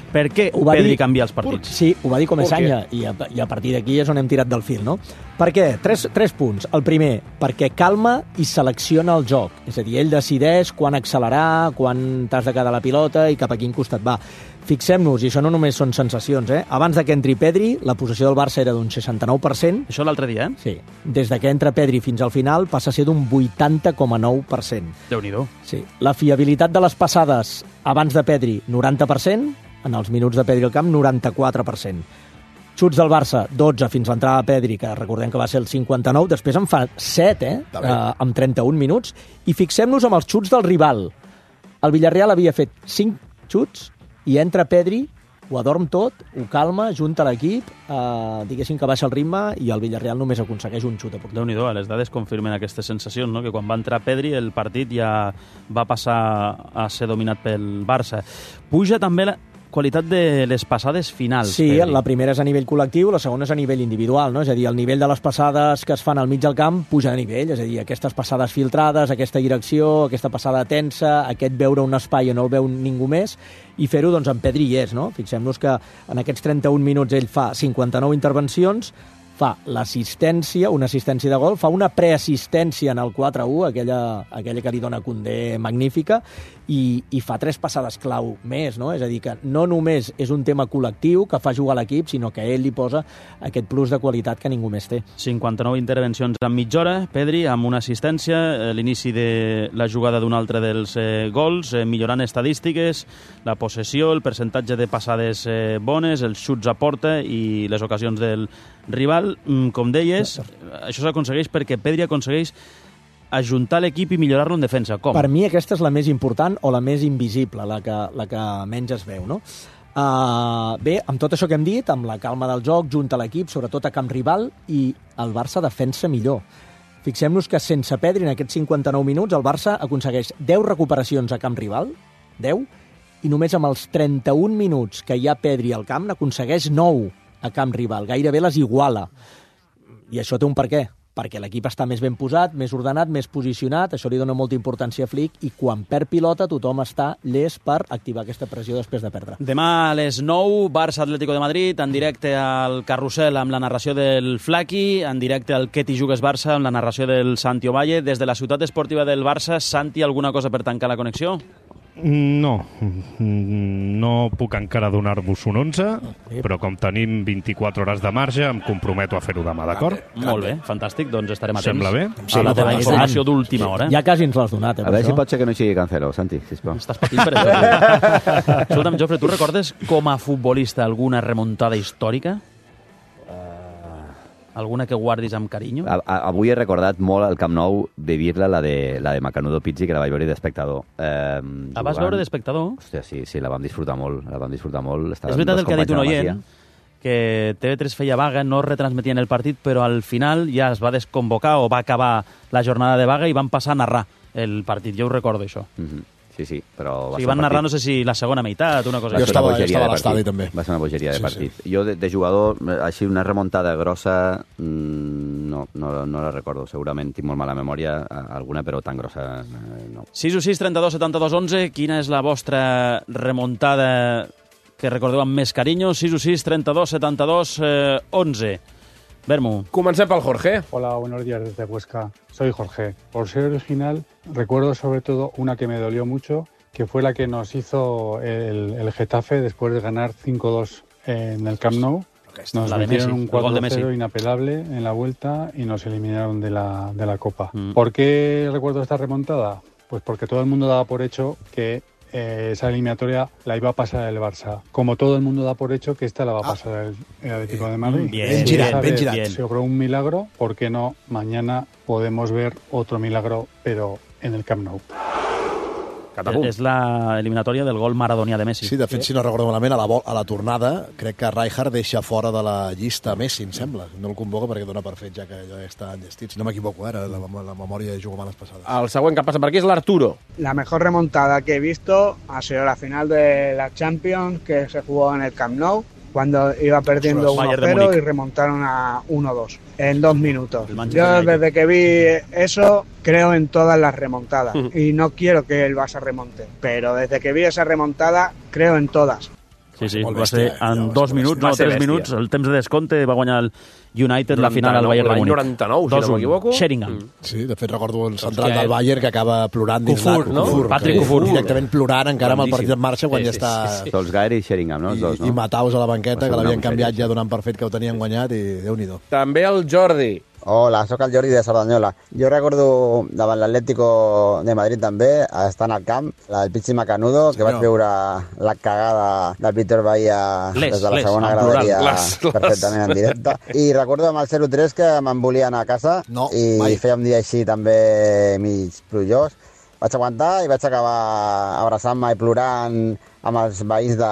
Per què Ho va Pedri dir- canvia els partits? Sí, ho va dir com Per Essanya, i a, i a partir d'aquí és on hem tirat del fil, no? Per què? Tres, tres punts. El primer, perquè calma i selecciona el joc. És a dir, ell decideix quan accelerar, quan t'has de quedar la pilota i cap a quin costat va. Fixem-nos, i això no només són sensacions, eh? Abans de que entri Pedri, la possessió del Barça era d'un seixanta-nou per cent. Això l'altre dia, eh? Sí. Des de que entra Pedri fins al final passa a ser d'un vuitanta coma nou per cent. Déu-n'hi-do. Sí. La fiabilitat de les passades abans de Pedri, noranta per cent. En els minuts de Pedri al camp, noranta-quatre per cent. Xuts del Barça, dotze fins l'entrada de Pedri, que recordem que va ser el cinquanta-nou, després en fa set, eh? eh amb trenta-un minuts. I fixem-nos amb els xuts del rival. El Villarreal havia fet cinc xuts i entra Pedri, ho adorm tot, ho calma, junta l'equip, eh, diguéssim que baixa el ritme i el Villarreal només aconsegueix un xut a porteria. Déu-n'hi-do, les dades confirmen aquestes sensacions, no? Que quan va entrar Pedri el partit ja va passar a ser dominat pel Barça. Puja també la qualitat de les passades finals. Sí, Pedri. la primera és a nivell col·lectiu, la segona és a nivell individual, no? És a dir, el nivell de les passades que es fan al mig del camp puja de nivell, és a dir, aquestes passades filtrades, aquesta direcció, aquesta passada tensa, aquest veure un espai on no el veu ningú més, i fer-ho, doncs, en Pedri hi és, no? Fixem-nos que en aquests trenta-un minuts ell fa cinquanta-nou intervencions, fa l'assistència, una assistència de gol, fa una preassistència en el quatre a u, aquella, aquella que li dona Koundé magnífica, i, i fa tres passades clau més, no? És a dir, que no només és un tema col·lectiu que fa jugar l'equip, sinó que ell li posa aquest plus de qualitat que ningú més té. cinquanta-nou intervencions en mitja hora, Pedri, amb una assistència, l'inici de la jugada d'un altre dels eh, gols, eh, millorant estadístiques, la possessió, el percentatge de passades eh, bones, els xuts a porta i les ocasions del rival. Mm, com deies, això s'aconsegueix perquè Pedri aconsegueix ajuntar l'equip i millorar-lo en defensa. Com? Per mi aquesta és la més important o la més invisible, la que, la que menys es veu, no? Uh, bé, amb tot això que hem dit, amb la calma del joc, junta l'equip, sobretot a camp rival, i el Barça defensa millor. Fixem-nos que sense Pedri en aquests cinquanta-nou minuts el Barça aconsegueix deu recuperacions a camp rival, deu, i només amb els trenta-un minuts que hi ha Pedri al camp n'aconsegueix nou a camp rival, gairebé les iguala. I això té un per què, perquè l'equip està més ben posat, més ordenat, més posicionat, això li dona molta importància a Flick, i quan perd pilota tothom està llest per activar aquesta pressió després de perdre. Demà a les nou, Barça Atlético de Madrid, en directe al Carrusel amb la narració del Flaqui, en directe al Què t'hi jugues Barça amb la narració del Santi Ovalle. Des de la ciutat esportiva del Barça, Santi, alguna cosa per tancar la connexió? No, no puc encara donar-vos un onze, però com tenim vint-i-quatre hores de marge, em comprometo a fer-ho demà, d'acord? Molt bé, fantàstic, doncs estarem atents. Sembla bé? A la teva informació d'última hora. Ja quasi ens l'has donat, eh? A veure si pot ser que no sigui Cancelo, Santi, sisplau. Estàs patint per això. Escolta'm, Jofre, tu recordes com a futbolista alguna remuntada històrica? Alguna que guardis amb carinyo? A, a, avui he recordat molt al Camp Nou vivir-la, la de, la de Macanudo Pizzi, que la vaig veure d'espectador. Eh, La vas veure d'espectador? Hòstia, sí, sí, la vam disfrutar molt, la vam disfrutar molt. És veritat el que ha dit un oient, que T V tres feia vaga, no retransmetien el partit, però al final ja es va desconvocar o va acabar la jornada de vaga i van passar a narrar el partit. Jo ho recordo, això. Mm-hmm. Sí, sí, però... O sigui, van narrar, no sé si la segona meitat, una cosa Jo així. estava, jo estava a l'estadi, també. Va ser una bogeria de Sí, partit. Sí. Jo, de, de jugador, així una remuntada grossa, mmm, no, no, no la recordo. Segurament tinc molt mala memòria, alguna, però tan grossa eh, no. sis u sis, trenta-dos, setanta-dos, onze. Quina és la vostra remuntada que recordeu amb més carinyo? sis u sis, trenta-dos, setanta-dos, onze. Bermu. Comencem pel Jorge. Hola, buenos días desde Huesca. Soy Jorge. Por ser original, recuerdo sobre todo una que me dolió mucho, que fue la que nos hizo el, el Getafe después de ganar cinco dos en el Camp Nou. Nos la de metieron Messi, un el gol de cuatro cero Messi. inapelable en la vuelta y nos eliminaron de la, de la Copa. Mm. ¿Por qué recuerdo esta remontada? Pues porque todo el mundo daba por hecho que eh, esa eliminatoria la iba a pasar el Barça. Como todo el mundo da por hecho que esta la va a pasar el, el Atlético de Madrid. Bien, ben girat, ben girat. Sobre un milagro, ¿por qué no? Mañana podemos ver otro milagro, pero en el Camp Nou. És l'eliminatòria del gol maradonià de Messi. Sí, de fet, si no recordo malament, a la, a la tornada, crec que Rijkaard deixa fora de la llista Messi, em sembla. No el convoca perquè dona per fet ja que ja està enllestit. Si no m'equivoco, ara la, la memòria de jugo males passades. El següent que passa per aquí és l'Arturo. La mejor remontada que he visto ha sido la final de la Champions que se jugó en el Camp Nou, cuando iba perdiendo uno cero y remontaron a uno dos en dos minutos. Yo desde que vi eso creo en todas las remontadas y no quiero que el Barça remonte, pero desde que vi esa remontada creo en todas. Sí, sí, va ser en dos minuts, no, tres minuts, el temps de descompte va guanyar el United la final al Bayern de Múnich. L'any noranta-nou, si no m'equivoco. Sheringham. Sí, de fet recordo el central del Bayern que acaba plorant dins Kufur, no? Kufur, Patrick Kufur. Directament plorant encara amb el partit en marxa quan ja està... Solskjaer i Sheringham, no? I, dos, no? I Mataus a la banqueta, que l'havien canviat ja donant per fet que ho tenien guanyat i Déu-n'hi-do. També el Jordi. Hola, sóc el Jordi de Cerdanyola. Jo recordo davant l'Atlético de Madrid també, estant al camp, la del Pichi Macanudo, que vaig veure la cagada del Víctor Bahía les, des de la les, segona graderia perfectament en directe. I recordo amb el zero tres que me'n volia anar a casa no, i mai. Feia un dia així també mig plujós. Vaig aguantar i vaig acabar abraçant-me i plorant amb els veïns de,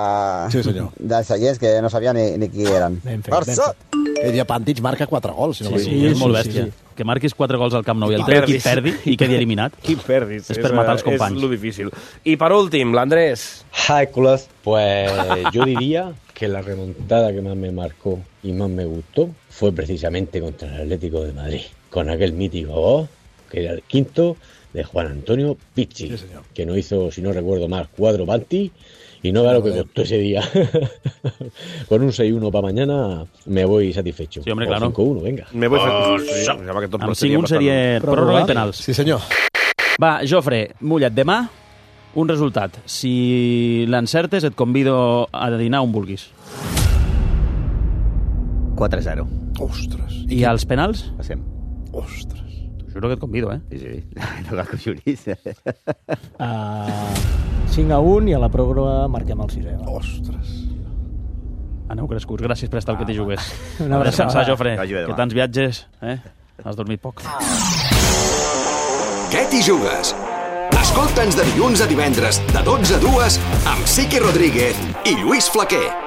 sí, senyor. dels seients que no sabia ni, ni qui eren. Barça! El Diapàntic marca quatre gols. Si no sí, sí, és molt bèstia. Sí, sí. Que marquis quatre gols al Camp Nou i el teu equip perdi i quedi eliminat. Qui perdis. És per matar els companys. És lo difícil. I per últim, l'Andrés. Hi, culos. Pues yo diría que la remontada que más me marcó y más me gustó fue precisamente contra el Atlético de Madrid, con aquel mítico gol, que era el quinto, de Juan Antonio Pichi, sí, que no hizo, si no recuerdo mal, cuatro panty. Y no vea lo que costó ese día. Con un seis uno para mañana me voy satisfecho. Sí, hombre, o claro. cinco uno, venga. Me voy oh, satisfecho. Sí, amb cinc un seria pròrroga i penals. Sí, senyor. Va, Jofre, mulla't. Demà, un resultat. Si l'encertes, et convido a dinar on vulguis. quatre zero. Ostres. I als penals? Passem. Ostres. T'ho juro que et convido, eh? Sí, sí. No cal que ho juris. Uh... cinc a un i a la pròrroga marquem el sisè. Ostres. Aneu crescuts, gràcies per estar al que t'hi jugués. Una abraçada. Descansar, Jofre, que tants viatges, eh? Has dormit poc. Què t'hi jugues? Escolta'ns de dilluns a divendres, de dotze a dues, amb Sique Rodríguez i Lluís Flaquer.